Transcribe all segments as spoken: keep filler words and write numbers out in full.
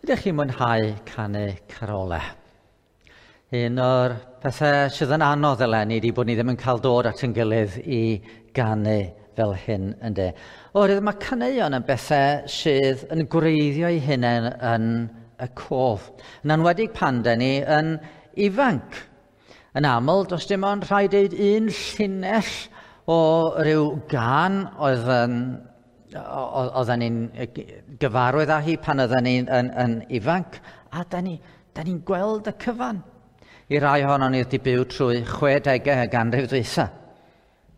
Ydych chi'n mwynhau canu carolau? Un o'r pethau sydd yn anodd eleni ydy bod ni ddim yn cael dod at ein gilydd i ganu fel hyn, ynde. Oherwydd mae caneuon yn bethau sydd yn gwreiddio eu hunain yn y cof. Yn enwedig pan 'dan ni yn ifanc. Yn aml, does dim ond rhaid deud un llinell o ryw gân oedd yn oedden ni'n gyfarwydd â hi pan oedden ni'n yn, yn ifanc, a da ni'n ni, ni gweld y cyfan. I rai ohonon ni wedi byw trwy chwedegau y ganrif ddwytha.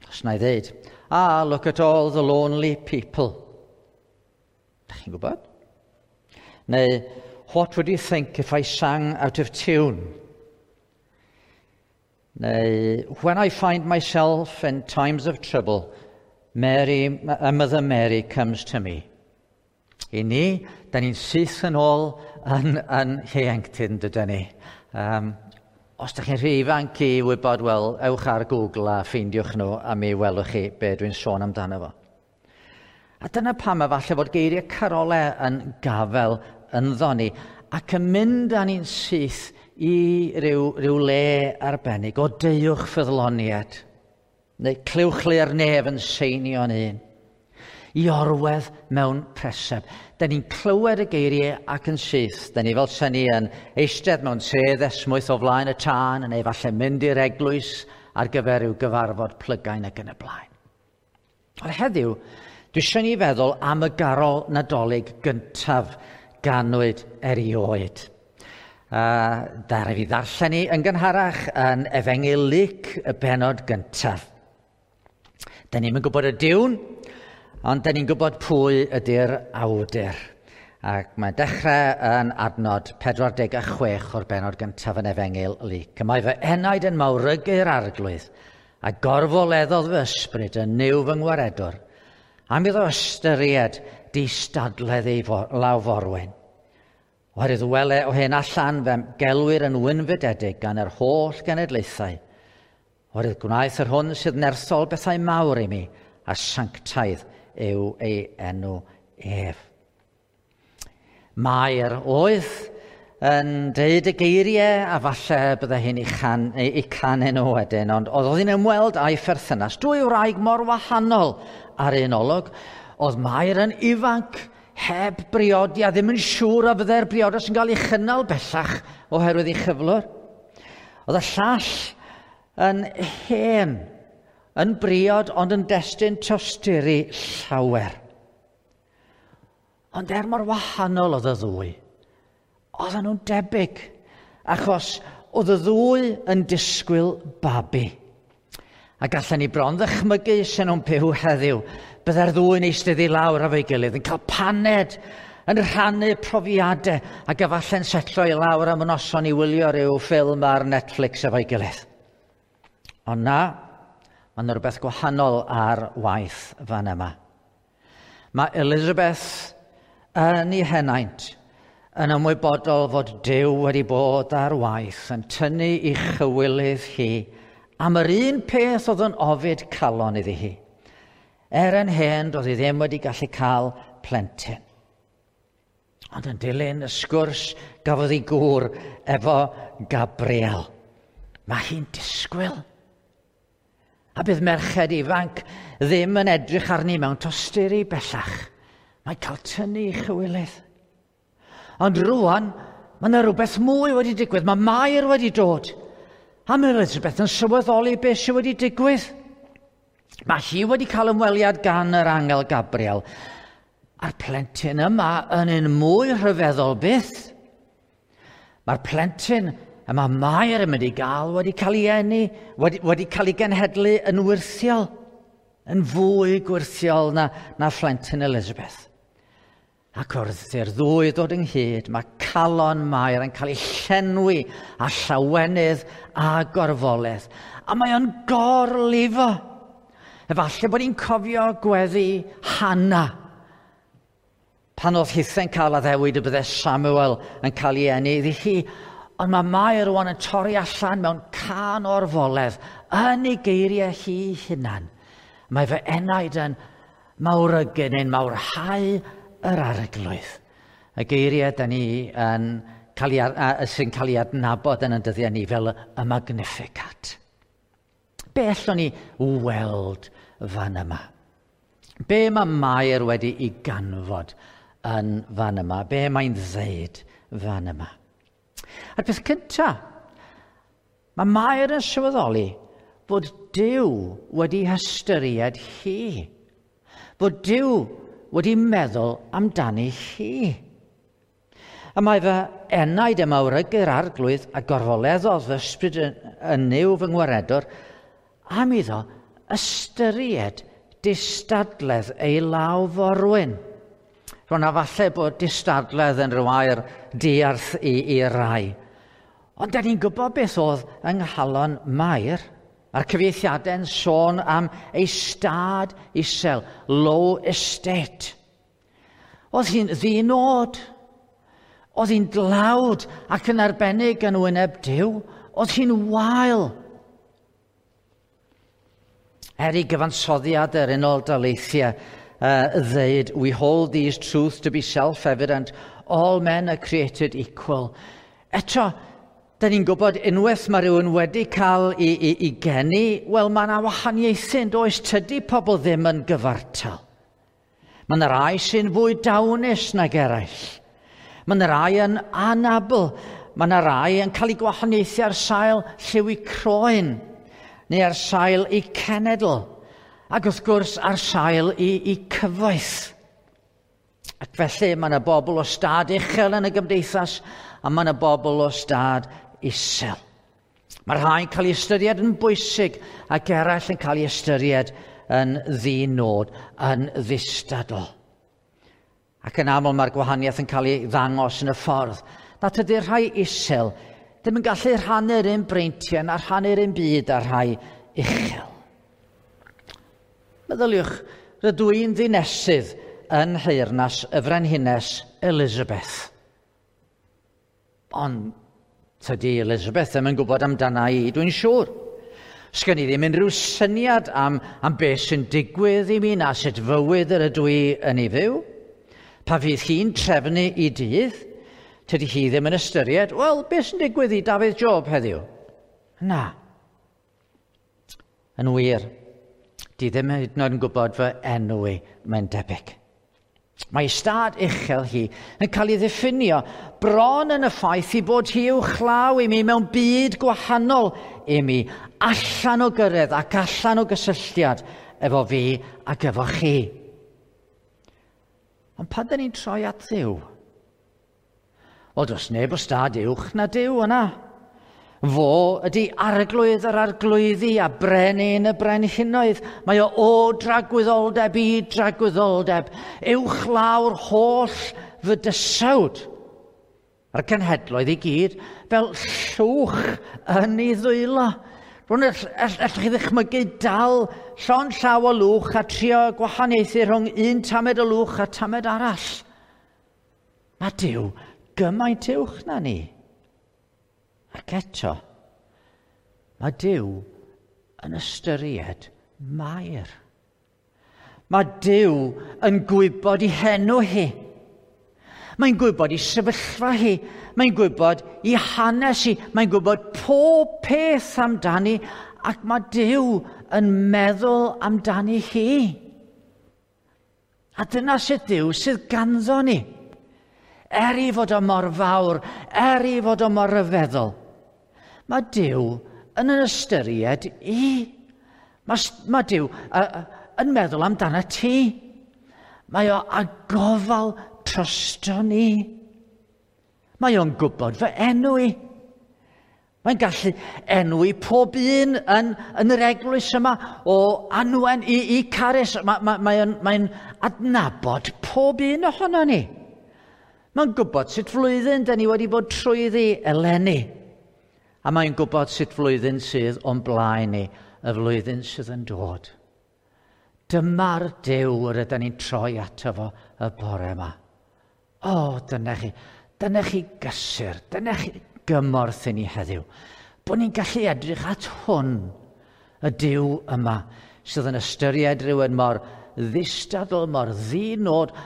Os na i ddeud, "Ah, look at all the lonely people." Da chi'n gwybod? Neu, "What would you think if I sang out of tune?" Neu, "When I find myself in times of trouble, Mary, Mother Mary comes to me." I ni, da ni'n syth yn ôl yn, yn ieuenctid, yn dydyn ni. Um, os da chi'n rhy ifanc i wybod, wel, ewch ar Google a ffeindiwch nhw a mi welwch chi be dwi'n sôn amdano fo. A dyna pam efallai fod geiriau carolau yn gafel ynddo ni ac yn mynd â ni'n syth i ryw, ryw le arbennig o deuwch ffyddloniaid neu clywch le'r nef yn seinio'n un. I orwedd mewn preseb. Da ni'n clywed y geiriau ac yn syth. Da ni fel sy'n ni yn eistedd mewn sedd esmwyth o flaen y tân, neu falle mynd i'r eglwys ar gyfer ryw gyfarfod plygain ac yn y blaen. Ond heddiw, dwi eisiau ni feddwl am y garol Nadolig gyntaf ganwyd erioed. Uh, Ddaru fi ddarllen ni yn gynharach yn Efengyl Luc y benod gyntaf. Da ni'n gwybod y diwn, ond da ni'n gwybod pwy ydy'r awdur. Ac mae'n dechrau yn adnod pedwar deg chwech o'r benod gyntaf yn Efengyl Luc. "Mae fy enaid yn mawrygu'r Arglwydd, a gorfoleddodd fy ysbryd yn Nuw fy ngwaredwr, am iddo ystyried distadledd ei law forwyn. Oherwydd wele o hyn allan fe'm gelwir yn wynfydedig gan yr holl genedlaethau. Oherwydd gwnaeth yr hwn sydd nerthol bethau mawr i mi, a sanctaidd yw ei enw ef." Mair oedd yn deud y geiriau a falle bydde hi'n ei, chan, ei canu nhw wedyn, ond oedd hi'n ymweld â'i pherthynas. Dwy wraig mor wahanol ar un olwg. Oedd Mair yn ifanc, heb briodi a ddim yn siŵr a fydde'r briodas yn cael ei chynnal bellach oherwydd ei chyflwr. Oedd y llall yn hen, yn briod ond yn destun tosturi llawer. Ond er mor wahanol oedd y ddwy, oedden nhw'n debyg, achos oedd y ddwy yn disgwyl babi. A gallen ni bron ddychmygu sy'n nhw'n byw heddiw, byddai'r ddwy'n eistedd i lawr efo'i gilydd, yn cael paned, yn rhannu profiadau, ac efallai'n setlo i lawr am y noson i wylio rhyw ffilm ar Netflix efo'i gilydd. Ond na, mae yna rhywbeth gwahanol ar waith fan yma. Mae Elizabeth yn ei henaint yn ymwybodol fod Duw wedi bod ar waith yn tynnu i chywilydd hi am yr un peth oedd yn ofid calon iddi hi. Er yn hen, doedd hi ddim wedi gallu cael plentyn. Ond yn dilyn y sgwrs gafodd ei gŵr efo Gabriel, mae hi'n disgwyl. A bydd merched ifanc ddim yn edrych arni mewn tosturi bellach. Mae cael tynnu i chywilydd. Ond rwan, mae yna rhywbeth mwy wedi digwydd. Mae Mair wedi dod. A mae Elizabeth yn sylweddoli beth sydd wedi digwydd. Mae hi wedi cael ymweliad gan yr angel Gabriel. A'r plentyn yma yn un mwy rhyfeddol byth. Mae'r plentyn y mae Mair yn mynd i gael wedi cael ei eni, wedi, wedi cael ei genhedlu yn wyrthiol, yn fwy gwyrthiol na, na phlentyn Elizabeth. Ac wrth i'r ddwy ddod ynghyd, mae calon Mair yn cael ei llenwi â llawenydd a gorfoledd. A mae o'n gorlifo. Efallai bod hi'n cofio gweddi Hanna pan oedd hithe'n cael addewid y bydde Samuel yn cael ei eni iddi hi. Ond mae Mair rwan yn torri allan mewn cân orfoledd yn ei geiriau hi hunan. "Mae fy enaid yn mawrygu neu'n mawrhau yr Arglwydd." Y geiriau da ni yn cael ei, a, sy'n cael ei adnabod yn y dyddiau ni fel y Magnificat. Be allwn ni weld fan yma? Be mae Mair wedi ei ganfod yn fan yma? Be mae'n ddeud fan yma? A'r peth cyntaf, mae Mair yn sylweddoli bod Duw wedi hystyried hi. Bod Duw wedi meddwl amdani hi. A mae fy enaid yn mawrygu'r Arglwydd a gorfoleddodd fy ysbryd yn Nuw fy ngwaredwr am iddo ystyried distadledd ei law forwyn. Rwy'n a falle bod distadledd yn rhyw air diarth i, i rai. Ond da ni'n gwybod beth oedd yng nghalon Mair. Mae'r cyfieithiadau'n sôn am ei stad isel, low estate. Oedd hi'n ddinod. Oedd hi'n dlawd ac yn arbennig yn wyneb Duw. Oedd hi'n wael. Er i gyfansoddiad yr Unol Daleithiau uh, ddeud, "We hold these truths to be self-evident, all men are created equal." Eto, da ni'n gwybod unwaith mae rhywun wedi cael ei, ei, ei geni, wel, mae yna wahaniaethu yn does, tydi pobl ddim yn gyfartal. Mae yna rai sy'n fwy dawnus nag eraill. Mae yna rai yn anabl. Mae yna rai yn cael eu gwahaniaethu ar sail lliw eu croen, neu ar sail eu cenedl, ac wrth gwrs ar sail eu, eu cyfoeth. Ac felly mae yna bobl o stad uchel yn y gymdeithas, a mae yna bobl o stad isel. Mae rhai'n cael ei ystyried yn bwysig ac eraill yn cael ei ystyried yn ddinod, yn ddistadl. Ac yn aml mae'r gwahaniaeth yn cael ei ddangos yn y ffordd nad ydy'r rhai isel ddim yn gallu rhannu'r un breintiau na rhannu'r un byd â'r rhai uchel. Meddyliwch, rydw i'n ddinesydd yn nheyrnas y Frenhines Elizabeth. Ond tydi Elizabeth ddim yn gwybod amdana i, dwi'n siŵr. Sgen i ddim unrhyw syniad am, am beth sy'n digwydd i mi na sut fywyd yr ydw i yn ei fyw. Pa fydd hi'n trefnu ei dydd, tydi hi ddim yn ystyried, wel, beth sy'n digwydd i Dafydd Job heddiw? Na. Yn wir, di ddim hyd yn oed yn gwybod fy enw i, mae'n debyg. Mae stad uchel hi yn cael ei ddiffinio bron yn y ffaith i bod hi uwchlaw i mi mewn byd gwahanol i mi, allan o gyrraedd ac allan o gysylltiad efo fi ac efo chi. Ond pan dyn ni'n troi at Dduw? Wel, does neb o stad uwch na Duw yna. Fo ydy arglwydd yr arglwyddi a brenin y brenhinoedd. Mae o o dragwyddoldeb i dragwyddoldeb, uwch lawr holl fydysawd. A'r cenhedloedd i gyd fel llwch yn ei ddwylo. Rwy'n allwch chi ddychmygu dal llond llaw o lwch a trio gwahaniaethu rhwng un tamed o lwch a tamed arall. Mae Duw gymaint uwch na ni. Ac eto, mae Duw yn ystyried Mair. Mae Duw yn gwybod ei henw hi. Mae'n gwybod ei sefyllfa hi. Mae'n gwybod ei hanes hi. Mae'n gwybod pob peth amdani ac mae Duw yn meddwl amdani hi. A dyna sut Duw sydd ganddo ni. Er i fod o mor fawr, er i fod o mor ryfeddol, mae Duw yn yn ystyried i. Mae, mae Duw uh, yn meddwl amdano ti. Mae o â gofal drosto ni. Mae o'n gwybod fy enw i. Mae'n gallu enwi pob un yn, yn yr eglwys yma o Anwen i, i Carys. Mae, mae, mae o'n, mae'n adnabod pob un ohono ni. Mae'n gwybod sut flwyddyn da ni wedi bod trwyddi eleni. A mae'n gwybod sut flwyddyn sydd o'n blaen ni, y flwyddyn sydd yn dod. Dyma'r Duw yr ydyn ni'n troi ato fo y bore yma. O, dyna chi, dyna chi gysur, dyna chi gymorth i ni heddiw. Bod ni'n gallu edrych at hwn, y Duw yma, sydd yn ystyried rhywun mor ddistadl, mor ddinod,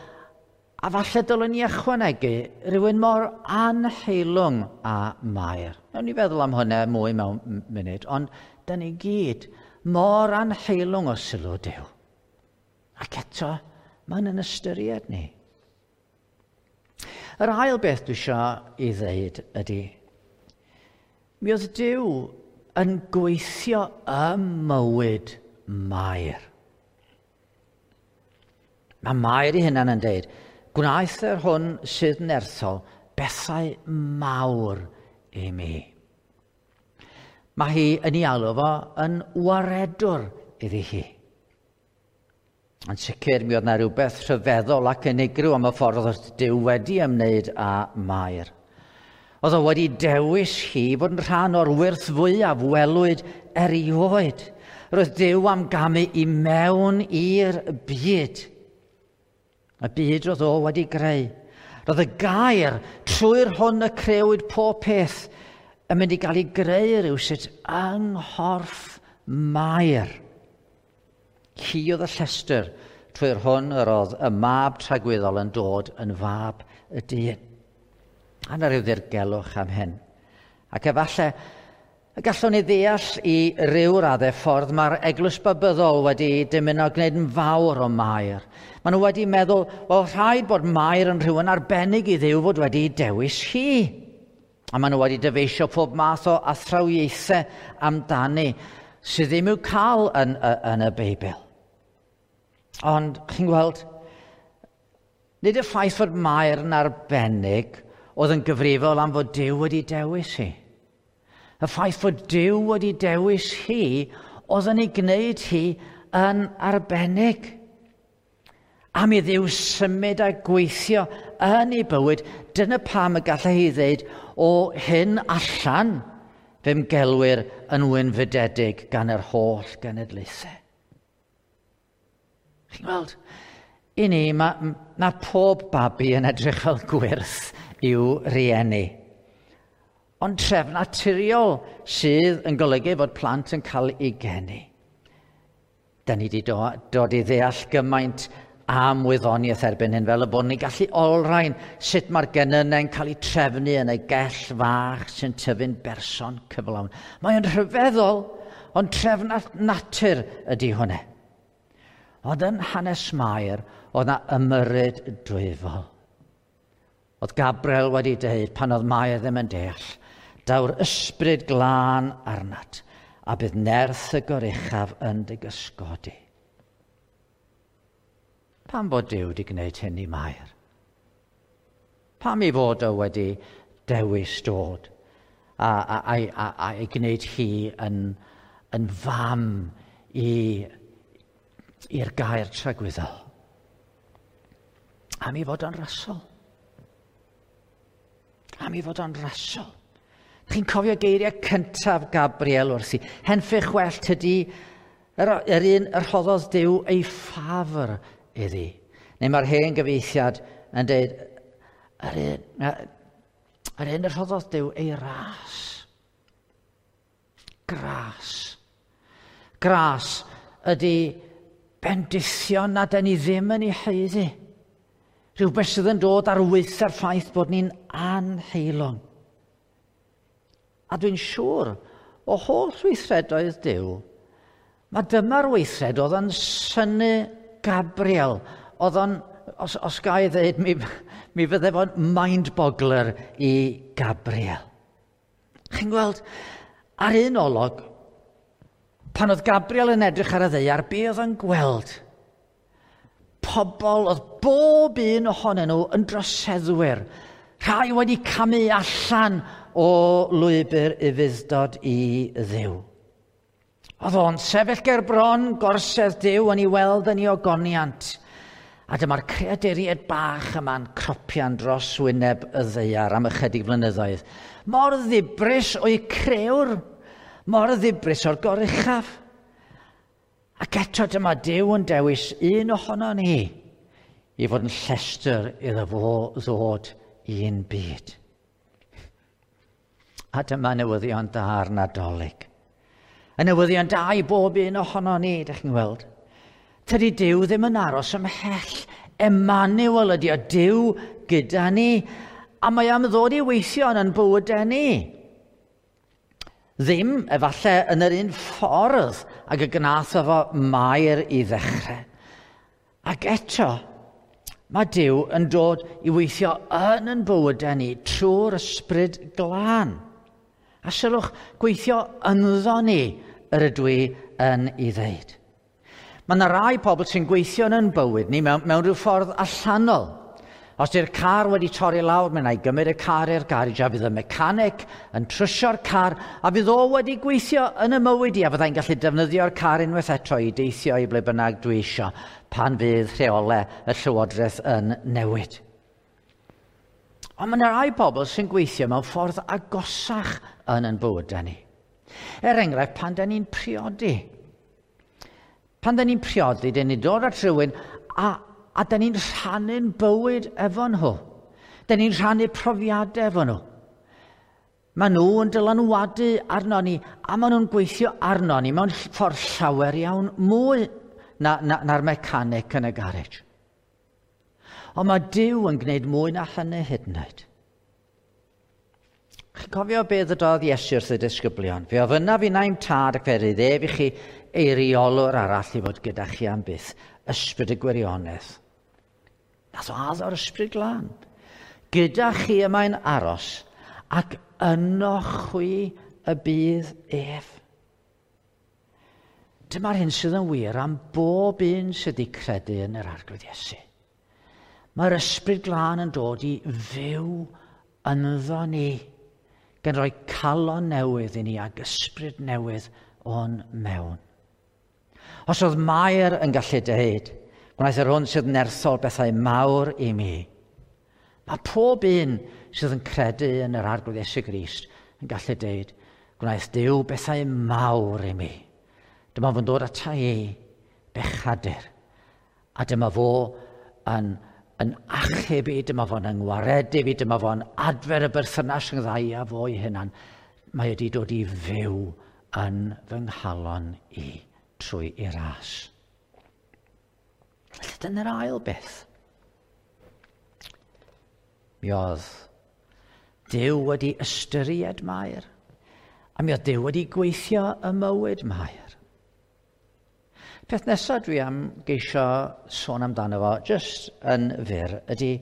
A falle dylwn ni ychwanegu rhywun mor anheilwng â Mair. Nawn ni feddwl am hynny mwy mewn munud, ond da ni gyd mor anheilwng o sylw Duw. Ac eto, mae'n yn ystyried ni. Yr ail beth dwi eisiau i ddeud ydy, mi oedd Duw yn gweithio ym mywyd Mair. Mae Mair ei hunan yn deud, gwnaeth yr hwn sydd nerthol bethau mawr i mi. Mae hi yn ei alw fo yn waredwr iddi hi. Yn sicr, mi oedd yna rhywbeth rhyfeddol ac unigryw am y ffordd oedd Duw wedi ymwneud â Mair. Oedd o wedi dewis hi fod yn rhan o'r wyrth fwyaf welwyd erioed. Roedd Duw am gamu i mewn i'r byd. Y byd roedd o wedi greu. Roedd y gair trwy'r hwn y crewyd pob peth yn mynd i gael ei greu rhywsut yng nghorff Mair. Hi oedd y llestr trwy'r hwn yr oedd y mab tragwyddol yn dod yn fab y dyn. A 'na ryw ddirgelwch am hyn. Ac efallai y gallwn ni ddeall i ryw raddau ffordd mae'r eglwys babyddol wedi dymuno gwneud yn fawr o Mair. Maen nhw wedi meddwl, wel, rhaid bod Mair yn rhywun arbennig i Dduw fod wedi dewis hi. A maen nhw wedi dyfeisio pob math o athrawiaethau amdani sydd ddim i'w cael yn, yn y Beibl. Ond, chi'n gweld, nid y ffaith fod Mair yn arbennig oedd yn gyfrifol am fod Duw wedi dewis hi. Y ffaith fod Duw wedi dewis hi oedd yn ei gwneud hi yn arbennig. Am i Dduw symud a gweithio yn ei bywyd, dyna pam y gallai hi ddweud, o hyn allan fe'm gelwir yn wynfydedig gan yr holl genedlaethau. Chi'n gweld, i ni, mae, mae pob babi yn edrych fel gwyrth i'w rieni. Ond trefn naturiol sydd yn golygu fod plant yn cael eu geni. Da ni wedi do, dod i ddeall gymaint am wyddoniaeth erbyn hyn, fel y bod ni'n gallu olrhain sut mae'r genynnau'n cael eu trefnu yn y gell fach sy'n tyfu'n berson cyflawn. Mae'n rhyfeddol, ond trefn natur ydy hwnna. Ond yn hanes Mair, oedd na ymyrryd dwyfol. Oedd Gabriel wedi dweud pan oedd Mair ddim yn deall, daw'r ysbryd glân arnat, a bydd nerth y goruchaf yn dy gysgodi. Pam bod Duw wedi gwneud hyn i Mair? Pam ei fod o wedi dewis dod a, a, a, a, a ei gwneud hi yn, yn fam i, i'r gair tragwyddol? Am ei fod o'n rasol. Am ei fod o'n rasol. Chi'n cofio geiriau cyntaf Gabriel wrthi. Henffych well tydi yr, yr un yr rhoddodd Duw ei ffafr iddi. Neu mae'r hen gyfieithiad yn dweud, yr un, yr un yr rhoddodd Duw ei ras. Gras. Gras ydy bendithion na dyn ni ddim yn ei haeddu. Rhywbeth sydd yn dod ar waetha'r ffaith bod ni'n anheilwng. A dwi'n siŵr o holl weithredoedd Duw, mae dyma'r weithred oedd yn synnu Gabriel, oedd o'n, os, os ga i ddweud, mi, mi fydde fo'n mind-boggler i Gabriel. Chi'n gweld, ar un olwg, pan oedd Gabriel yn edrych ar y ddaear, be oedd o'n gweld? Pobl oedd bob un ohonyn nhw yn droseddwyr, rhai wedi camu allan o lwybr ufudd-dod i Dduw. Oedd o'n sefyll ger bron gorsedd Duw yn ei weld yn ei ogoniant. A dyma'r creaduriaid bach yma'n cropian dros wyneb y ddaear am ychydig flynyddoedd. Mor ddibris o'i crewr, mor ddibris o'r goruchaf. Ac eto dyma Duw yn dewis un ohono ni i fod yn llestr iddo fo ddod i'n byd. A dyma newyddion da'r Nadolig. Y newyddion da i bob un ohono ni, dych chi'n gweld. Tydi Duw ddim yn aros ymhell Emmanuel ydy o, Duw gyda ni, a mae am ddod i weithio yn ein bywydau ni. Ddim, efallai, yn yr un ffordd ag y gnath efo Mair i ddechrau. Ac eto, mae Duw yn dod i weithio yn ein bywydau ni trwy'r Ysbryd Glân. A sylwch, gweithio ynddo ni yr ydw i yn ei ddeud. Mae yna rai pobl sy'n gweithio yn ein bywyd ni mewn, mewn rhyw ffordd allanol. Os di'r car wedi torri lawr, mae'n ei gymryd y car i'r garej a fydd y mecanic yn trwsio'r car a fydd o wedi gweithio yn y mywyd i a fyddai'n gallu defnyddio'r car unwaith eto i deithio i ble bynnag dwi isio pan fydd rheolau y llywodraeth yn newid. Ond mae yna rai pobl sy'n gweithio mewn ffordd agosach yn ein bywydau ni. Er enghraifft, pan da ni'n priodi. Pan da ni'n priodi, da ni'n dod at rhywun a A da ni'n rhannu'n bywyd efo nhw. Da ni'n rhannu profiadau efo nhw. Maen nhw yn dylanwadu arno ni, a maen nhw'n gweithio arno ni mewn ffordd llawer iawn mwy na, na, na'r mecanic yn y garej. Ond mae Duw yn gwneud mwy na hynny hyd yn oed. Chi'n cofio beth ddydodd Iesu wrth y disgyblion? Fe ofynnaf i i'm tad ac fe rydd ef i chi eiriolwr arall i fod gyda chi am byth, ysbryd y gwirionedd. Nath o addo'r Ysbryd Glân. Gyda chi y mae'n aros, ac yno chwi y bydd ef. Dyma'r hyn sydd yn wir am bob un sydd wedi credu yn yr Arglwydd Iesu. Mae'r Ysbryd Glân yn dod i fyw ynddo ni, gan roi calon newydd i ni ac ysbryd newydd o'n mewn. Os oedd Mair yn gallu dweud, gwnaeth yr hwn sydd nerthol bethau mawr i mi. Mae pob un sydd yn credu yn yr Arglwydd Iesu Grist yn gallu dweud, gwnaeth Duw bethau mawr i mi. Dyma fo'n dod ata i, bechadur. A dyma fo yn, yn achub i, dyma fo'n yngwaredu fi, dyma fo'n adfer y berthynas yng nghyda a fo i hunan. Mae wedi dod i fyw yn fy nghalon i trwy ei ras. Felly dyna'r ail beth. Mi oedd Duw wedi ystyried Mair, a mi oedd Duw wedi gweithio y mywyd Mair. Peth nesaf dwi am geisio sôn amdano fo, jyst yn fyr, ydy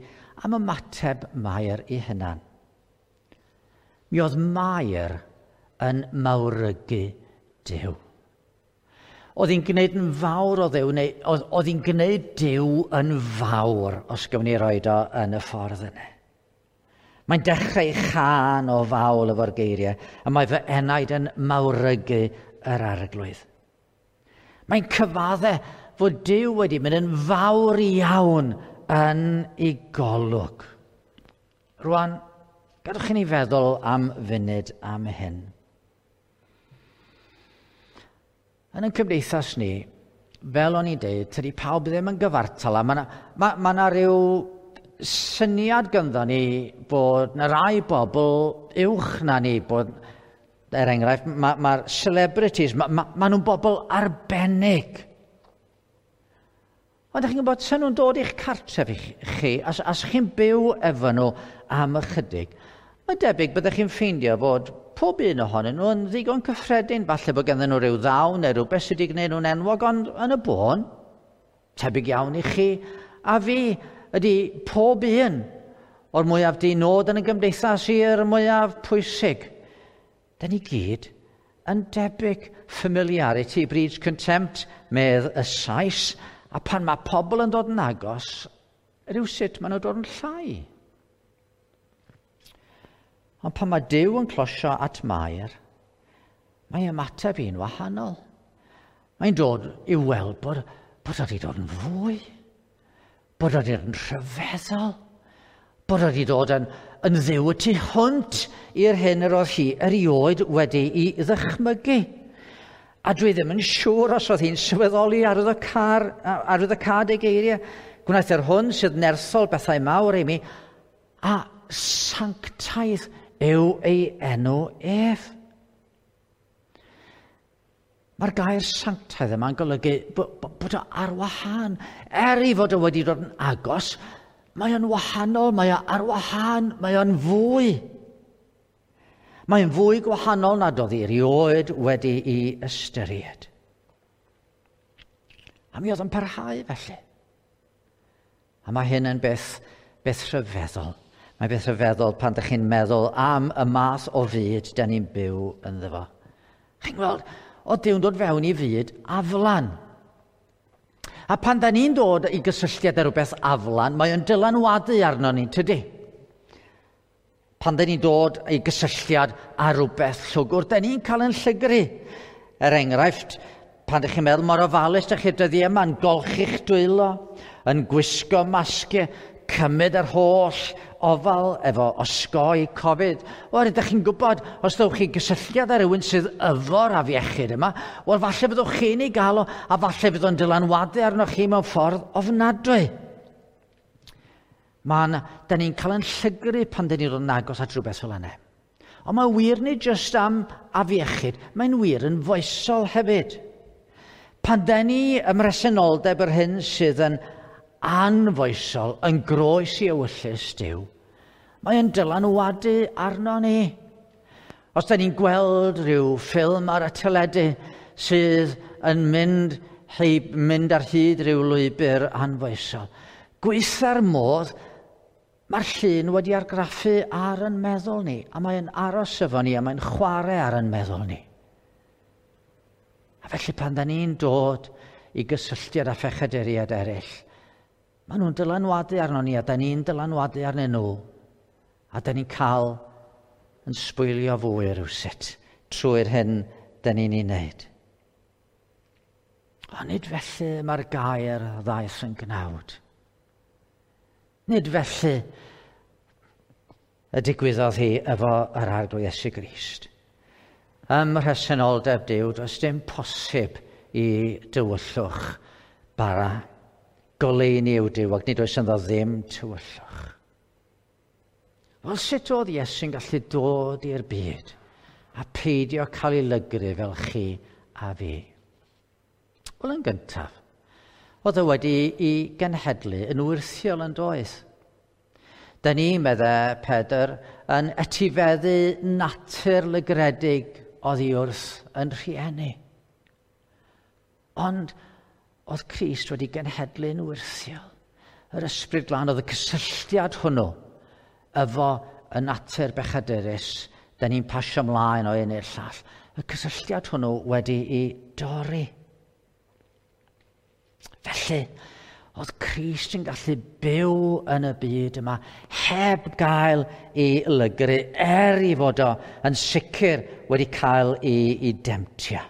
am ymateb Mair i hunan. Mi oedd Mair yn mawrygu Duw. Oedd hi'n gwneud yn fawr o Dduw, neu oedd, oedd hi'n gwneud Duw yn fawr, os gyfwn ni roed o yn y ffordd yna. Mae'n dechrau chân o fawl efo'r geiriau, a mae fy enaid yn mawrygu yr Arglwydd. Mae'n cyfadde fod Duw wedi mynd yn fawr iawn yn ei golwg. Rwan, gadwch i ni feddwl am funud am hyn. Yn ein cymdeithas ni, fel o'n i'n deud, tydi pawb ddim yn gyfartal, a mae yna ma, ma na ryw syniad ganddo ni bod na rai bobl uwch na ni, bod, er enghraifft, mae'r ma, ma celebrities, mae ma, ma nhw'n bobl arbennig. Ond ydych chi'n gwybod, sy'n nhw'n dod i'ch cartref i chi, as, as chi'n byw efo nhw am ychydig, mae'n debyg byddech chi'n ffeindio fod pob un ohonyn nhw yn ddigon cyffredin, falle bod ganddyn nhw rhyw ddawn neu rhywbeth sydd wedi gwneud nhw'n enwog, ond yn y bôn, tebyg iawn i chi a fi ydy pob un o'r mwyaf dinod yn y gymdeithas i'r mwyaf pwysig. Da ni gyd yn debyg. Familiarity breeds contempt, medd y Sais, a pan mae pobl yn dod yn agos, rhywsut maen nhw'n dod yn llai. Ond pan mae Duw yn closio at Mair, mae ymateb i'n wahanol. Mae'n dod i weld bod, bod wedi dod yn fwy, bod wedi dod yn rhyfeddol, bod wedi dod yn, yn ddiw y tu hwnt i'r hyn yr oedd hi erioed wedi'i ddychmygu. A dwi ddim yn siŵr os oedd hi'n sylweddoli arwyddocâd ei geiriau. Gwnaeth yr hwn sydd nerthol bethau mawr i mi, a sanctaidd yw ei enw ef. Mae'r gair sanctaidd yma'n golygu bod o ar wahân. Er ei fod o wedi dod yn agos, mae o'n wahanol, mae o ar wahân, mae o'n fwy. Mae'n fwy gwahanol nad oedd hi erioed wedi'i ystyried. A mi oedd yn parhau felly. A mae hyn yn beth, beth rhyfeddol. Mae beth rhyfeddol pan ydych chi'n meddwl am y math o fyd da ni'n byw ynddo fo. Chi'n gweld, oedd Duw'n dod fewn i fyd aflan. A pan da ni'n dod i gysylltiad â rhywbeth aflan, mae o'n dylanwadu arno ni, tydi? Pan da ni'n dod i gysylltiad â rhywbeth llwgwr, da ni'n cael yn llygru. Er enghraifft, pan ydych chi'n meddwl mor ofalus, ydych chi'r dyddiau yma yn golchi'ch dwylo, yn gwisgo masgiau, cymryd yr holl ofal efo osgoi Covid. Wel, ydych chi'n gwybod, os ddewch chi gysylltiad â rhywun sydd efo'r afiechyd yma, wel, falle fyddwch chi'n ei gael o, a falle fydd o'n dylanwadu arnoch chi mewn ffordd ofnadwy. Mae'n, da ni'n cael yn llygru pan da ni'n dod yn agos at rhywbeth fel yna. Ond mae wir nid jyst am afiechyd, mae'n wir yn foesol hefyd. Pan da ni ym mhresenoldeb yr hyn sydd yn anfoesol, yn groes i ewyllys Duw, mae yn dylanwadu arno ni. Os da ni'n gweld rhyw ffilm ar y teledu sydd yn mynd, heib, mynd ar hyd rhyw lwybr anfoesol, gweitha'r modd, mae'r llun wedi argraffu ar yn meddwl ni, a mae'n aros efo ni, a mae'n chwarae ar yn meddwl ni. A felly pan da ni'n dod i gysylltiad â phechaduriaid eraill, maen nhw'n dylanwadu arno ni, a da ni'n dylanwadu arnyn nhw, a da ni'n cael yn sbwylio fwy rhywsut trwy'r hyn da ni'n ei wneud. Ond nid felly mae'r gair ddaeth yn gnawd. Nid felly y digwyddodd hi efo yr Arglwydd Iesu Grist. Ym mhresenoldeb Duw, does dim posib i dywyllwch bara. Goleuni yw Duw, ac nid oes ynddo ddim tywyllwch. Wel, sut oedd Iesu'n gallu dod i'r byd a peidio cael ei lygru fel chi a fi? Wel, yn gyntaf, oedd o wedi ei genhedlu yn wyrthiol yn doedd. Da ni, medde Pedr, yn etifeddu natur lygredig oddi wrth yn rhieni. Ond oedd Crist wedi genhedlu'n wyrthiol. Yr Ysbryd Glân oedd y cysylltiad hwnnw efo y natur bechadurus, da ni'n pasio ymlaen o un i'r llall. Y cysylltiad hwnnw wedi ei dorri. Felly, oedd Crist yn gallu byw yn y byd yma heb gael ei lygru, er i fod o yn sicr wedi cael ei, ei demtio.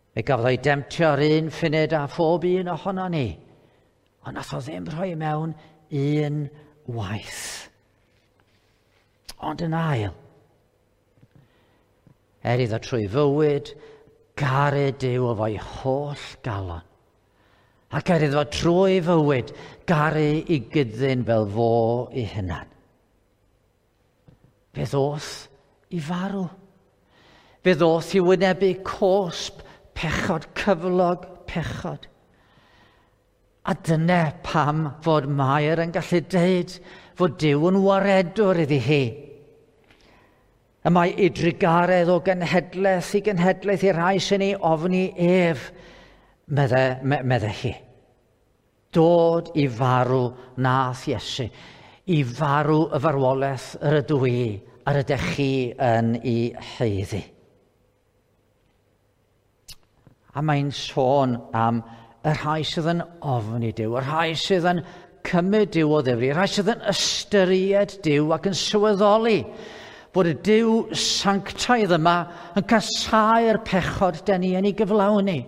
Fe gafodd o'i demtio ar un ffunud a phob un ohono ni, ond nath o ddim rhoi mewn un waith. Ond yn ail, er iddo trwy fywyd garu Duw efo'i holl galon, ac er iddo trwy fywyd garu i gyddyn fel fo ei hunan. Fe ddoth i farw. Fe ddoth i wynebu cosb pechod, cyflog pechod. A dyna pam fod Mair yn gallu deud fod Duw yn waredwr iddi hi. Y mae ei drugaredd o genhedlaeth i genhedlaeth i'r rhai sy'n ei ofni ef, medde, medde hi. Dod i farw nath Iesu, i farw y farwolaeth yr ydw i a'r ydych chi yn ei haeddu. A mae'n sôn am y rhai sydd yn ofni Duw, y rhai sydd yn cymryd Duw o ddifri, y rhai sydd yn ystyried Duw ac yn sylweddoli fod y Duw sanctaidd yma yn casáu'r pechod dan ni yn ei gyflawni.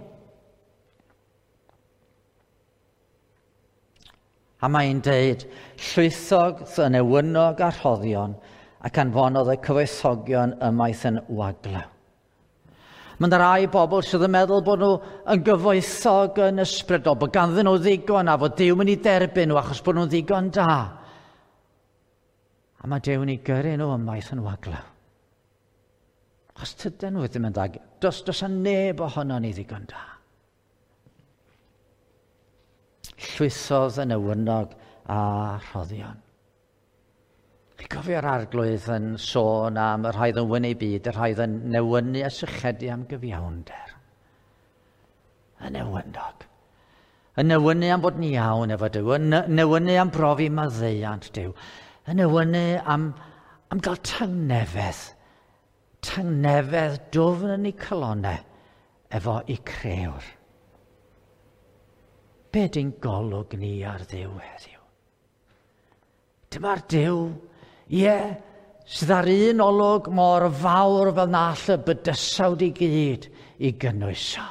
A mae'n deud, llwythog yn ewynog a rhoddion ac anfonodd y cyfoethogion ymaith yn waglaw. Mae yna rai bobl sydd yn meddwl bod nhw yn gyfoethog yn ysbrydol, bod ganddyn nhw ddigon a fod Duw mynd i derbyn nhw achos bod nhw'n ddigon da. A mae Duw yn ei gyrru nhw ymaith yn waglaw. Achos tydyn nhw ddim yn dda. Does, does a neb ohono ni ddigon da. Llwythodd y newynog a rhoddion. Chi'n cofio'r Arglwydd yn sôn am y rhai yn wynu byd, y rhai yn newynu a sychedu am gyfiawnder. Y newynog. Y newynu am bod yn iawn efo Duw, y newynu am brofi maddeuant Duw, y newynu am, am gael tangnefedd, tangnefedd dwfn yn eu calonnau efo eu crëwr. Be di'n golwg ni ar Dduw heddiw? Dyma'r Duw, ie, sydd ar un olwg mor fawr fel na all y bydysawd i gyd i gynnwys o.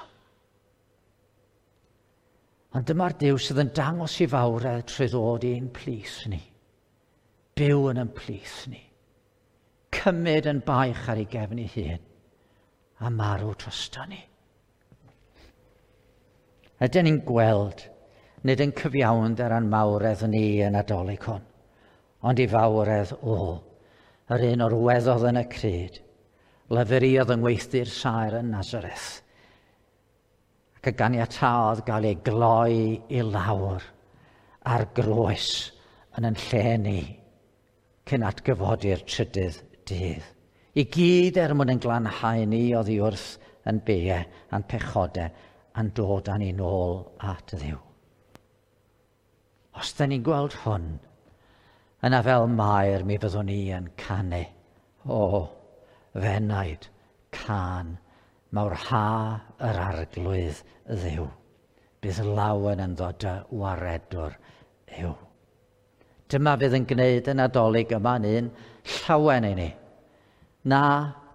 Ond dyma'r Duw sydd yn dangos i fawredd trwy ddod i'n plith ni. Byw yn ein plith ni. Cymryd yn baich ar ei gefn ei hun a marw drosto ni. Ydyn ni'n gweld, nid yn cyfiawnder a'n mawredd ni yn Nadolig hwn, ond i fawredd o, yr un orweddodd yn y crud, lafuriodd yng ngweithdy'r saer yn Nazareth, ac y ganiataodd gael ei gloi i lawr ar groes yn yn lle ni, cyn atgyfodi'r trydydd dydd. I gyd er mwyn yn glanhau ni oddi wrth yn beie a'n pechodau a'n dod â ni nôl at Dduw. Os da ni'n gweld hwn, yna fel Mair mi fyddwn ni yn canu. O, f'enaid, cân, mawrha yr Arglwydd Dduw. Bydd lawen ynddo dy waredwr yw. Dyma fydd yn gwneud y Nadolig yma'n un llawen i ni. Na,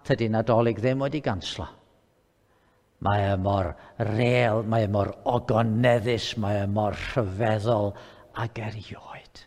tydi Nadolig ddim wedi ganslo. Mae e mor real, mae e mor ogoneddus, mae e mor rhyfeddol ag erioed.